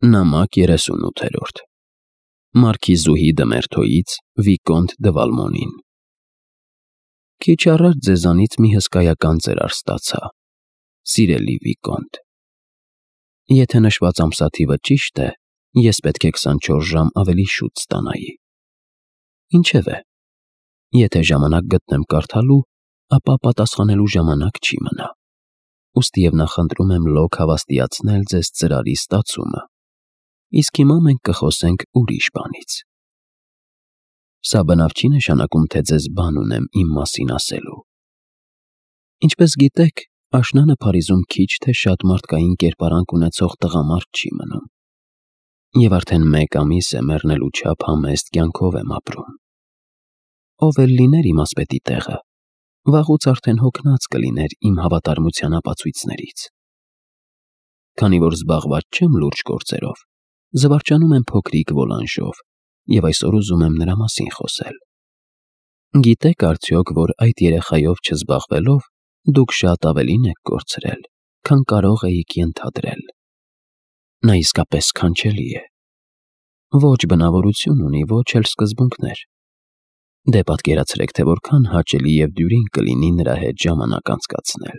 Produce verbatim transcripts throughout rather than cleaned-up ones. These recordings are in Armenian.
Նամակ երեսունութերորդ Մարքիզուհի Դմերթոյից Վիկոնտ դը Վալմոնին Քիչ առաջ ձեզանից մի հսկայական ծերար ստացա, սիրելի Վիկոնտ, եթե նշված ամսաթիվը ճիշտ է, ես պետք է քսանչորս ժամ ավելի շուտ ստանայի։ Ինչևէ, եթե ժամանակ գտնեմ կարդալու, ապա պատասխանելու ժամանակ չի մնա, ուստի և նախընտրում եմ լոկ հավաստիացնել ձեզ ծրարի ստացումը, իսկ հիմա մենք կխոսենք ուրիշ բանից։ Սա բնավ չի նշանակում, թե ձեզ բան ունեմ իմ մասին ասելու։ Ինչպես գիտեք, աշնանը Փարիզում քիչ թե շատ մարդկային կերպարանք ունեցող տղամարդ չի մնում, և արդեն մեկ ամիս է մեռնելու չափ համեստ կյանքով եմ ապրում։ Ով էլ լիներ իմ ասպետի տեղը, վաղուց արդեն հոգնած կլիներ իմ հավատարմության ապացույցներից։ Քանի որ զբաղված չեմ լուրջ գործերով, զվարճանում եմ փոքրիկ Վոլանժով և այսօր ուզում եմ նրա մասին խոսել։ Գիտեք արդյոք, որ այդ երեխայով չզբաղվելով դուք շատ ավելին եք կորցրել, քան կարող էիք ենթադրել։ Նա իսկապես սքանչելի է։ Ոչ բնավորություն ունի, ոչ էլ սկզբունքներ։ Դե պատկերացրեք, թե որքան հաճելի և դյուրին կլինի նրա հետ ժամանակ անցկացնել։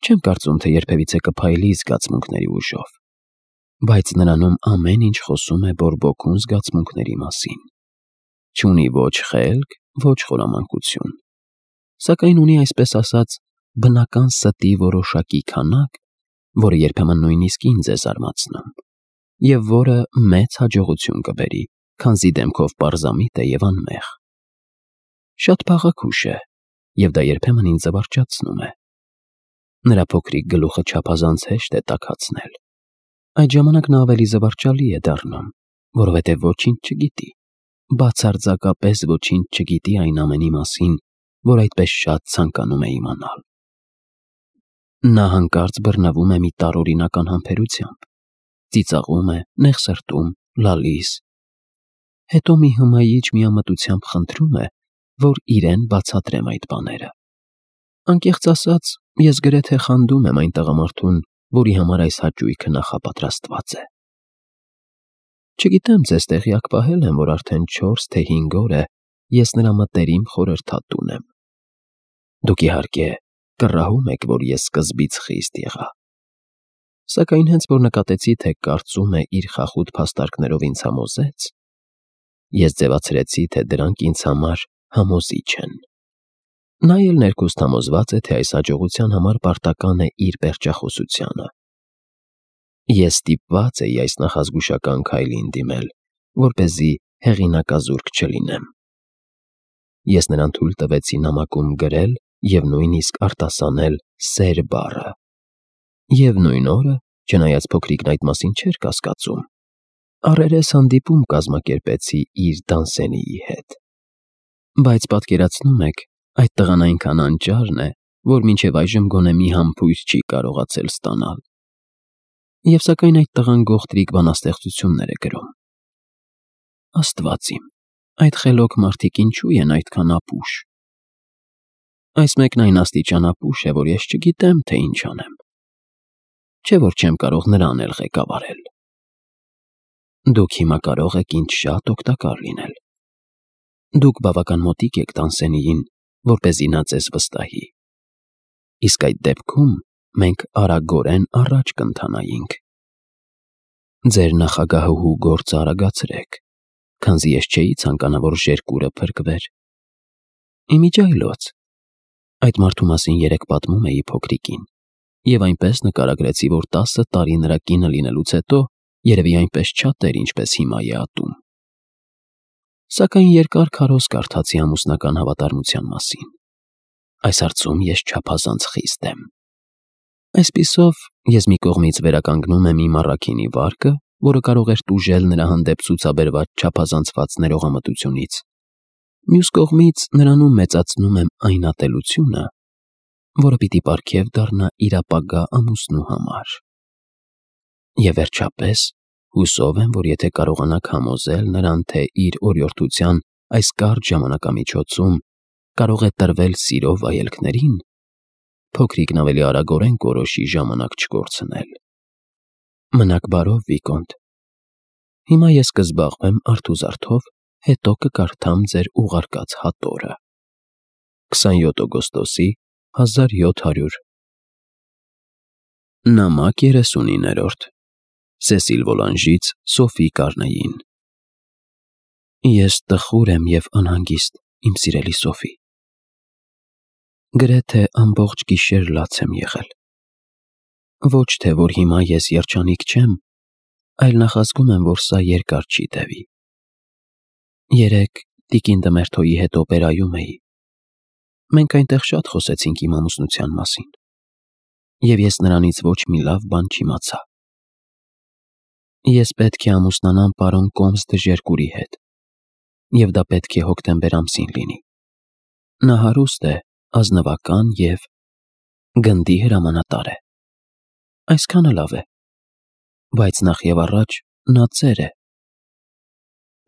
Չեմ կարծում, թե երբևիցե կփայլի զգացմունքների ուժով, բայց նրանում ամեն ինչ խոսում է բորբոքուն զգացմունքների մասին։ Չունի ոչ խելք, ոչ խորամանկություն, սակայն ունի, այսպես ասած, բնական ստի որոշակի քանակ, որը երբեմն նույնիսկ ինձ է զարմացնում, և որը մեծ հաջողություն կբերի, քանզի դեմքով պարզամիտ է և անմեղ։ Շատ փաղաքուշ է, և դա երբեմն ինձ զվարճացնում է։ Նրա փոքրիկ գլուխը չափազանց հեշտ է տաքացնել։ Այդ ժամանակ նա ավելի զվարճալի է դառնում, որովհետև ոչինչ չգիտի, բացարձակապես ոչինչ չգիտի այն ամենի մասին, որ այդպես շատ ցանկանում է իմանալ։ Նա հանկարծ բռնվում է մի տարօրինական համբերությամբ, ծիծաղում է, նեղսրտում, լալիս, հետո մի հմայիչ միամտությամբ խնդրում է, որ իրեն բացատրեմ այդ բաները։ Անկեղծ ասած, ես գրեթե խանդում եմ այն տղամարդուն, որի համար այս հաճույքը նախապատրաստված է։ Չգիտեմ ձեզ տեղյակ պահել եմ, որ արդեն չորս թե հինգ օր է ես նրա մտերիմ խորհրդատուն եմ։ Դուք իհարկե կռահում եք, որ ես սկզբից խիստ եղա։ Սակայն հենց որ նկատեցի, թե կարծում է իր խախուտ փաստարկներով ինձ համոզեց, ես ձևացրեցի, թե դրանք ինձ համար համոզիչ են։ Նա էլ ներքուստ համոզված է, թե այս հաջողության համար պարտական է իր պերճախոսությանը։ Ես ստիպված էի այս նախազգուշական քայլին դիմել, որպեսզի հեղինակազուրկ չլինեմ։ Ես նրան թույլ տվեցի նամակում գրել և նույնիսկ արտասանել սեր բառը։ Եվ նույն օրը, չնայած փոքրիկն այդ մասին չէր կասկածում, առերես հանդիպում կազմակերպեցի իր դանսենիի հետ։ Բայց պատկերացնում եք, այդ տղան այնքան անճարն է, որ մինչև այժմ գոնե մի համբույր չի կարողացել ստանալ։ Եվ սակայն այդ տղան գողտրիկ բանաստեղծություններ է գրում։ Աստված իմ, այդ խելոք մարդիկ ինչու են այդքան ապուշ։ Այս մեկն այն աստիճան ապուշ է, որ ես չգիտեմ, թե ինչ անեմ։ Չէ՞ որ չեմ կարող նրան էլ ղեկավարել։ Դուք հիմա կարող եք ինձ շատ օգտակար լինել։ Դուք բավական մոտիկ եք Տանսենիին, որպեսզի նա ձեզ վստահի։ Իսկ այդ դեպքում մենք արագորեն առաջ կընթանայինք։ Ձեր նախագահահու գործը արագացրեք, քանզի ես չէի ցանկանա, որ ժերկուրը փրկվեր։ Իմիջիայլոց, այդ մարդու մասին երեկ պատմում էի փոքրիկին, և այնպես նկարագրեցի, որ տասը տարի նրա կինը լինելուց հետո երևի այնպես չատեր, ինչպես հիմա է ատում։ Սակայն երկար քարոզ կարդացի ամուսնական հավատարմության մասին։ Այս հարցում ես չափազանց խիստ եմ։ Այսպիսով, ես մի կողմից վերականգնում եմ իմ առաքինի վարկը, որը կարող էր տուժել նրա հանդեպ ցուցաբերված չափազանցված ներողամտությունից, մյուս կողմից նրանում մեծացնում եմ այն ատելությունը, որը պիտի պարգև դառնա իր ապագա ամուսնու համար։ Եվ վերջապես, հուսով եմ, որ եթե կարողանաք համոզել նրան, թե իր օրիորդության այս կարճ ժամանակամիջոցում կարող է տրվել սիրո վայելքներին, փոքրիկն ավելի արագորեն կորոշի ժամանակ չկորցնել։ Մնաք բարով, Վիկոնտ։ Հիմա ես կզբաղվեմ արթուզարթով, հետո կկարդամ ձեր ուղարկած հատորը։ քսանյոթ օգոստոսի հազար յոթ հարյուր Նամակ երեսունիններորդ Սեսիլ Վոլանժից Սոֆի Կարնեին Ես տխուր եմ և անհանգիստ, իմ սիրելի Սոֆի։ Գրեթե ամբողջ գիշեր լաց եմ եղել։ Ոչ թե որ հիմա ես երջանիկ չեմ, այլ նախազգում եմ, որ սա երկար չի տևի։ Երեկ տիկին Դմերթոյի հետ օպերայում էի։ Մենք այնտեղ շատ խոսեցինք իմ ամուսնության մասին, և ես նրանից ոչ մի լավ բան չիմացա։ Ես պետք է ամուսնանամ պարոն Կոմս Դժերկուրի հետ, և դա պետք է հոկտեմբեր ամսին լինի։ Նա հարուստ է, ազնվական և գնդի հրամանատար է։ Այսքանը լավ է, բայց նախ և առաջ նա ծեր է։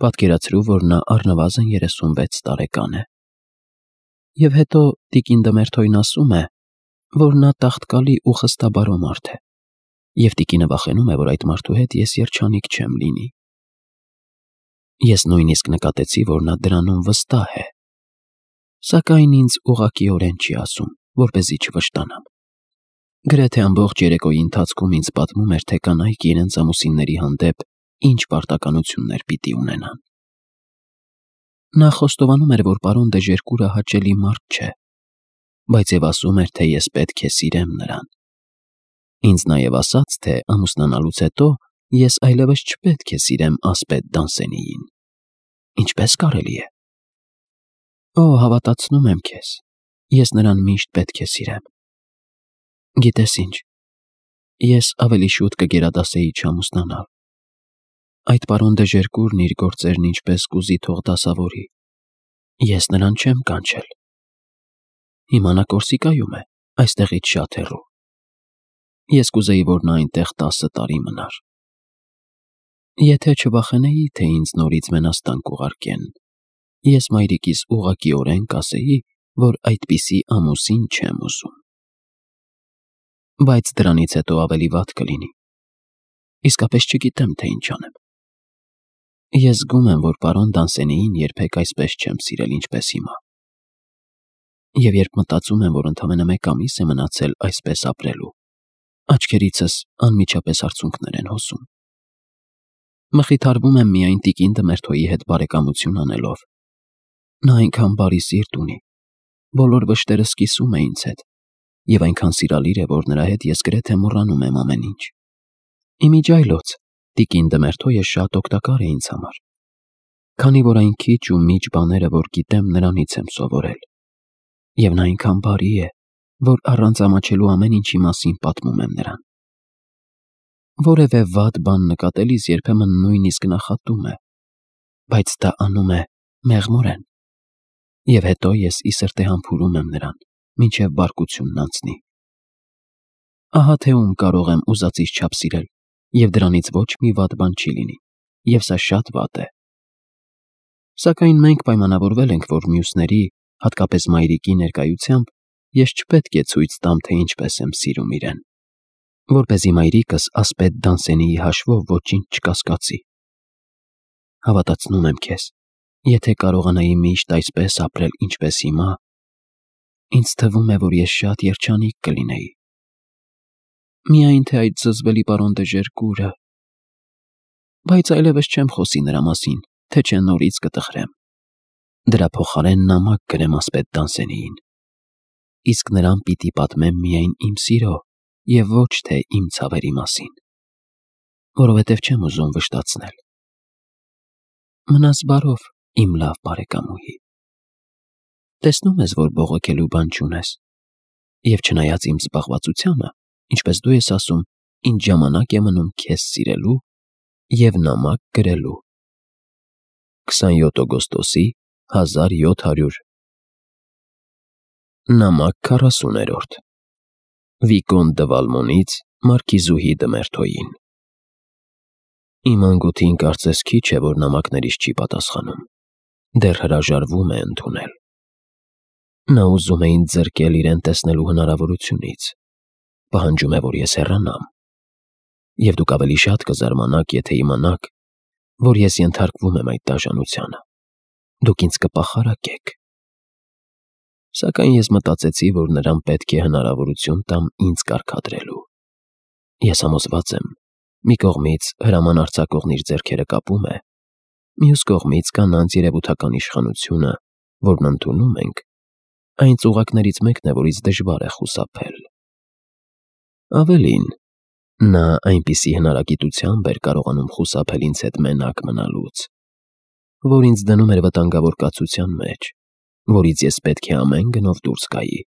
Պատկերացրու, որ նա առնվազն երեսունվեց տարեկան է։ Եվ հետո տիկին Դմերթոյն ասում է, որ նա տաղտկալի ու խստաբարո մարդ է, և տիկինը վախենում է, որ այդ մարդու հետ ես երջանիկ չեմ լինի։ Ես նույնիսկ նկատեցի, որ նա դրանում վստահ է, սակայն ինձ ուղղակիորեն չի ասում, որպեսզի չվշտանամ։ Գրեթե ամբողջ երեկոյի ընթացքում ինձ պատմում էր, թե կանայք իրենց ամուսինների հանդեպ ինչ պարտականություններ պիտի ունենան։ Նա խոստովանում էր, որ պարոն Դեժերկուրը հաճելի մարդ չէ, բայց և ասում էր, թե ես պետք է սիրեմ նրան։ Ինձ նաև ասաց, թե ամուսնանալուց հետո ես այլևս չպետք է սիրեմ ասպետ Դանսենիին։ Ինչպե՞ս կարելի է։ Օ, հավատացնում եմ քեզ, ես նրան միշտ պետք է սիրեմ։ Գիտես ինչ, ես ավելի շուտ կգերադասեի չամուսնանալ։ Այդ պարոն Դեժերկուրն իր գործերն ինչպես կուզի թող դասավորի։ Ես նրան չեմ կանչել։ Հիմա նա Կորսիկայում է, այստեղից շատ հեռու։ Ես կուզեի, որ նա այնտեղ տասը տարի մնար։ Եթե չվախենեի, թե ինձ նորից մենաստան կուղարկեն, ես մայրիկիս ուղղակիորեն կասեի, որ այդպիսի ամուսին չեմ ուզում։ Բայց դրանից հետո ավելի վատ կլինի։ Իսկապես չգիտեմ, թե ինչ անեմ։ Ես զգում եմ, որ պարոն Դանսենիին երբեք այսպես չեմ սիրել, ինչպես հիմա։ Եվ երբ մտածում եմ, որ ընդամենը մեկ ամիս է մնացել այսպես ապրելու, աչքերիցս անմիջապես արցունքներ են հոսում։ Մխիթարվում եմ միայն տիկին Դմերթոյի հետ բարեկամություն անելով։ Նա այնքան բարի սիրտ ունի, բոլոր վշտերը սկիսում է ինձ հետ, և այնքան սիրալիր է, որ նրա հետ ես գրեթե մոռանում եմ ամեն ինչ։ Իմիջիայլոց, տիկին Դմերթոյը շատ օգտակար է ինձ համար, քանի որ այն քիչ ու միջ բաները, որ գիտեմ, նրանից եմ սովորել, և նա այնքան բարի է, որ առանց ամաչելու ամեն ինչի մասին պատմում եմ նրան։ Որևէ վատ բան նկատելիս երբեմն նույնիսկ նախատում է, բայց դա անում է մեղմորեն, և հետո ես ի սրտե համբուրում եմ նրան, մինչև բարկությունն անցնի։ Ահա թե ում կարող եմ ուզածիս չափ սիրել, և դրանից ոչ մի վատ բան չի լինի, և սա շատ վատ է։ Սակայն մենք պայմանավորվել ենք, որ մյուսների, հատկապես մայրիկի ներկայությամբ, ես չպետք է ցույց տամ, թե ինչպես եմ սիրում իրեն, որպեսզի մայրիկս ասպետ Դանսենիի հաշվով ոչինչ չկասկածի։ Հավատացնում եմ քեզ, եթե կարողանայի միշտ այսպես ապրել, ինչպես հիմա, ինձ թվում է, որ ես շատ երջանիկ կլինեի։ Միայն թե այդ զզվելի պարոն Դեժերկուրը… Բայց այլևս չեմ խոսի նրա մասին, թե չէ նորից կտխրեմ։ Դրա փոխարեն նամակ գրեմ ասպետ Դանսենիին, իսկ նրան պիտի պատմեմ միայն իմ սիրո և ոչ թե իմ ցավերի մասին, որովհետև չեմ ուզում վշտացնել։ Մնաս բարով, իմ լավ բարեկամուհի։ Տեսնում ես, որ բողոքելու բան չունես, և չնայած իմ զբաղվածությանը, ինչպես դու ես ասում, ինձ ժամանակ է մնում քեզ սիրելու և նամակ գրելու։ քսանյոթ օգոստոսի հազար յոթ հարյուր Նամակ քառասուներորդ Վիկոնտ դը Վալմոնից մարքիզուհի Դմերթոյին Իմ անգութին կարծես քիչ է, որ նամակներիս չի պատասխանում, դեռ հրաժարվում է ընդունել։ Նա ուզում է ինձ զրկել իրեն տեսնելու հնարավորությունից, պահանջում է, որ ես հեռանամ։ Եվ դուք ավելի շատ կզարմանաք, եթե իմանաք, որ ես ենթարկվում եմ այդ դաժանությանը։ Դուք ինձ կպախարակեք։ Սակայն ես մտածեցի, որ նրան պետք է հնարավորություն տամ ինձ կարգադրելու։ Ես համոզված եմ, մի կողմից հրաման արձակողն իր ձեռքերը կապում է, մյուս կողմից կանանց երևութական իշխանությունը, որն ընդունում ենք, այն ծուղակներից մեկն է, որից դժվար է խուսափել։ Ավելին, նա այնպիսի հնարագիտությամբ էր կարողանում խուսափել ինձ հետ մենակ մնալուց, որ ինձ դնում էր վտանգավոր կացության մեջ, որից ես պետք է ամեն գնով դուրս գայի,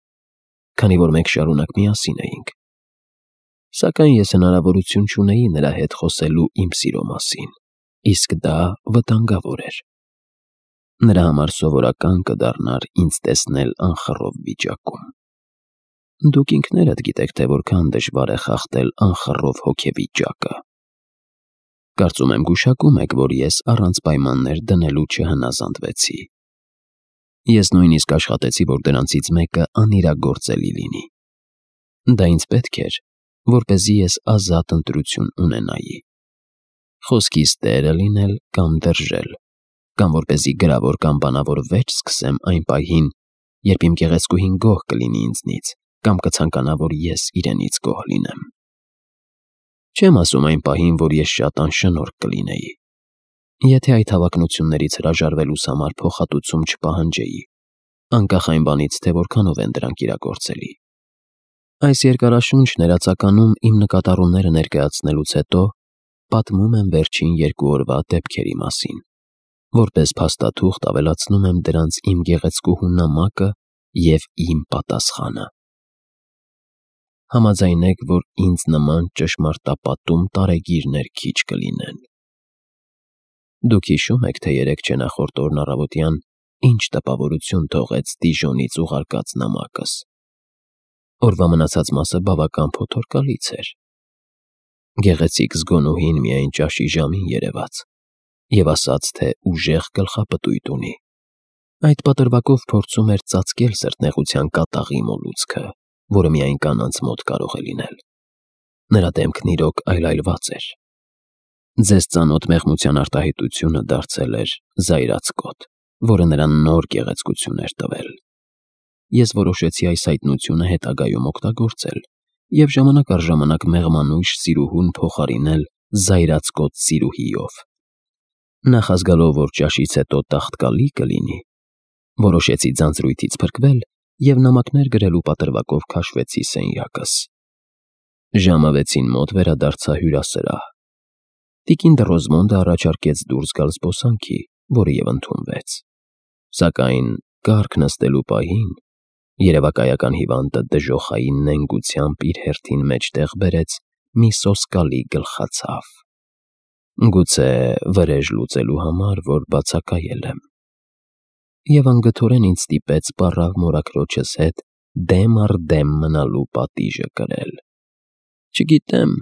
քանի որ մենք շարունակ միասին էինք։ Սակայն ես հնարավորություն չունեի նրա հետ խոսելու իմ սիրո մասին, իսկ դա վտանգավոր էր։ Նրա համար սովորական կդառնար ինձ տեսնել անխռով վիճակում։ Դուք ինքներդ գիտեք, թե որքան դժվար է խախտել անխռով հոգեվիճակը։ Կարծում եմ գուշակում եք, որ ես առանց պայմաններ դնելու չհնազանդվեցի։ Ես նույնիսկ աշխատեցի, որ դրանցից մեկը անիրագործելի լինի։ Դա ինձ պետք էր, որպեսզի ես ազատ ընտրություն ունենայի։ Խոսքիս տերը լինել կամ դրժել, կամ որպեսզի գրավոր կամ բանավոր վեճ սկսեմ այն պահին, երբ իմ գեղեցկուհին գոհ կլինի ինձնից, կամ կցանկանա, որ ես իրենից գոհ լինեմ։ Չեմ ասում այն պահին, որ ես շատ անշնորհք կլինեի, եթե այդ հավակնություններից հրաժարվելուս համար փոխհատուցում չպահանջեի, անկախ այն բանից, թե որքանով են դրանք իրագործելի։ Այս երկարաշունչ ներածականում իմ նկատառումները ներկայացնելուց հետո պատմում եմ վերջին երկու օրվա դեպքերի մասին, որպես փաստաթուղթ ավելացնում եմ դրանց իմ գեղեցկուհու նամակը և իմ պատասխանը։ Համաձայնեք, որ ինձ նման ճշմարտապատում տարեգիրներ քիչ կլինեն։ Դուք հիշում եք, թե երեկ նախորդ օրն առավոտյան ինչ տպավորություն թողեց Դիժոնից ուղարկած նամակս։ Օրվա մնացած մասը բավական փոթորկալից էր։ Գեղեցիկ զգոնուհին միայն ճաշի ժամին երևաց և ասաց, թե ուժեղ գլխապտույտ ունի։ Այդ պատրվակով փորձում էր ծածկել սրտնեղության կատաղի մոլուցքը, որը միայն կանանց մոտ կարող է լինել։ Նրա դեմքն իրոք այլայլված էր։ Ձեզ ծանոթ մեղմության արտահայտությունը դարձել էր զայրացկոտ, որը նրան նոր գեղեցկություն էր տվել։ Ես որոշեցի այս հայտնությունը հետագայում օգտագործել և ժամանակ առ ժամանակ մեղմանույժ սիրուհուն փոխարինել զայրացկոտ սիրուհիով։ Նախազգալով, որ ճաշից հետո տաղտկալի կլինի, որոշեցի ձանձրույթից փրկվել և նամակներ գրելու պատրվակով քաշվեցի սենյակս։ Ժամը վեցին մոտ վերադարձա հյուրասրահ։ Տիկին Դռոզմոնդը առաջարկեց դուրս գալ զբոսանքի, որը և ընդունվեց։ Սակայն կառք նստելու պահին երևակայական հիվանդը դժոխային նենգությամբ իր հերթին մեջտեղ բերեց մի սոսկալի գլխացավ։ Գուցե վրեժ լուծելու համար, որ բացակայել եմ։ Եվ անգթորեն ինձ ստիպեց պառավ մորաքրոջս հետ դեմ առ դեմ մնալու պատիժը կրել։ Չգիտեմ,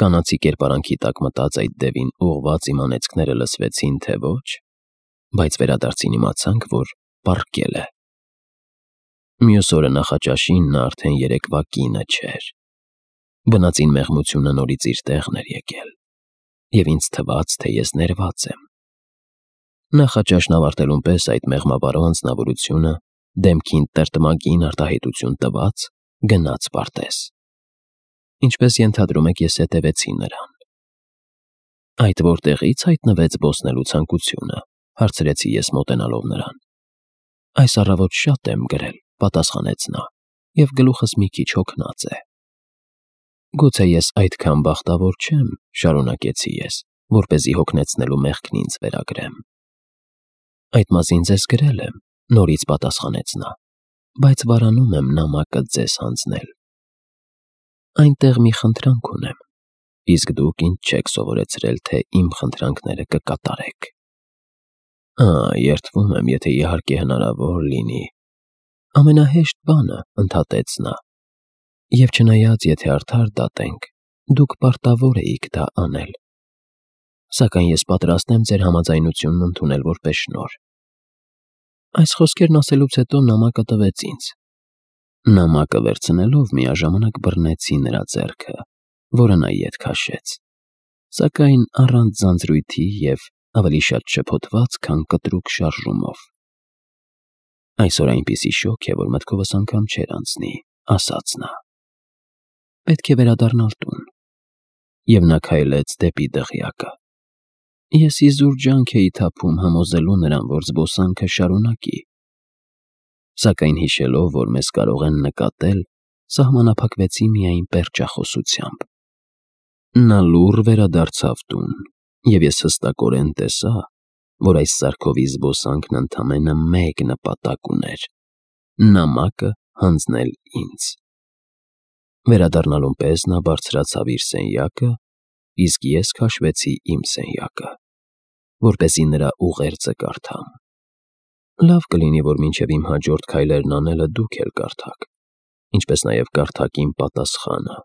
կանացի կերպարանքի տակ մտած այդ դևին ուղղված իմ անեծքները լսվեցին, թե ոչ, բայց վերադարձին իմացանք, որ պառկել է։ Մյուս օրը նախաճաշին նա արդեն երեկվա կինը չէր։ Բնածին մեղմությունը նորից իր տեղն էր եկել, և ինձ թվաց, թե ես ներված եմ։ Նախաճաշն ավարտելուն պես այդ մեղմավարո անձնավորությունը, դեմքին տրտմագին արտահայտություն տված, գնաց պարտեզ։ Ինչպես ենթադրում եք, ես հետևեցի նրան։ Այդ որտեղի՞ց հայտնվեց զբոսնելու ցանկությունը, հարցրեցի ես մոտենալով նրան։ Այս առավոտ շատ եմ գրել, պատասխանեց նա, և գլուխս մի քիչ հոգնած է։ Գուցե ես այդքան բախտավոր չեմ, շարունակեցի ես, որպեսզի հոգնեցնելու մեղքն ինձ վերագրեմ։ Այդ մասին ձեզ գրել եմ, նորից պատասխանեց նա, բայց վարանում եմ նամակը ձեզ հանձնել։ Այնտեղ մի խնդրանք ունեմ, իսկ դուք ինձ չեք սովորեցրել, թե իմ խնդրանքները կկատարեք։ Ա, երդվում եմ, եթե իհարկե հնարավոր լինի։ Ամենահեշտ բանը, ընդհատեց նա, և չնայած եթե արդար դատենք, դուք պարտավոր էիք դա անել։ Սակայն ես պատրաստ եմ ձեր համաձայնությունն ընդունել որպես շնորհ։ Այս խոսքերն ասելուց հետո նամակը տվեց ինձ։ Նամակը վերցնելով միաժամանակ բռնեցի նրա ձեռքը, որը նա ետ քաշեց։ Սակայն առանց ձանձրույթի և ավելի շատ շփոթված, քան կտրուկ շարժումով։ Այսօր այնպիսի շոգ է, որ մտքովս անգամ չէր անցնի, ասաց նա. պետք է վերադառնալ տուն։ Եվ նա քայլեց դեպի դղյակը։ Ես իզուր ջանք էի թափում համոզելու նրան, որ զբոսանքը շարունակի։ Սակայն հիշելով, որ մեզ կարող են նկատել, սահմանափակվեցի միայն պերճախոսությամբ։ Նա լուռ վերադարձավ տուն, և ես հստակորեն տեսա, որ այս սարքովի զբոսանքն ընդամենը մեկ նպատակ ուներ՝ նամակը հանձնել ինձ։ Վերադառնալուն պես նա բարձրացավ իր սենյակը, իսկ ես քաշվեցի իմ սենյակը, որպեսզի նրա ուղերձը կարդամ։ Լավ կլինի, որ մինչև իմ հաջորդ քայլերն անելը դուք էլ կարդաք, ինչպես նաև կարդաք իմ պատասխանը։